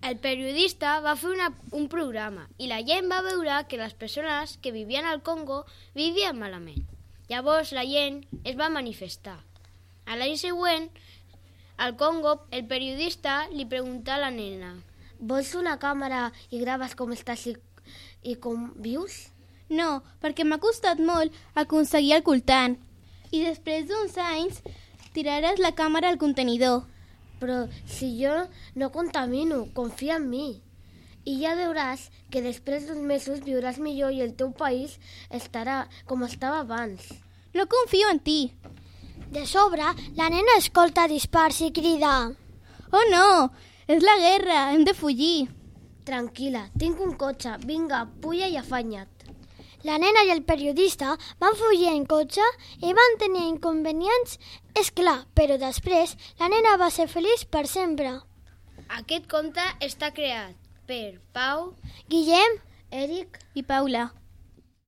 El periodista va fer un programa i la gent va veure que les persones que vivien al Congo vivien malament. Llavors la gent es va manifestar. A l'any següent, al Congo, el periodista li preguntà a la nena: Vols una càmera i graves com estàs i com vius? No, perquè m'ha costat molt aconseguir el coltant. I després d'uns anys tiraràs la càmera al contenidor. Però si jo no contamino, confia en mi. I ja veuràs que després d'uns mesos viuràs millor i el teu país estarà com estava abans. No confio en ti. De sobre, la nena escolta dispars i crida: Oh no, és la guerra, hem de fugir. Tranquil·la, tinc un cotxe, vinga, puja i afanya't. La nena i el periodista van fugir en cotxe i van tenir inconvenients, és clar, però després la nena va ser feliç per sempre. Aquest conte està creat per Pau, Guillem, Eric I Paula.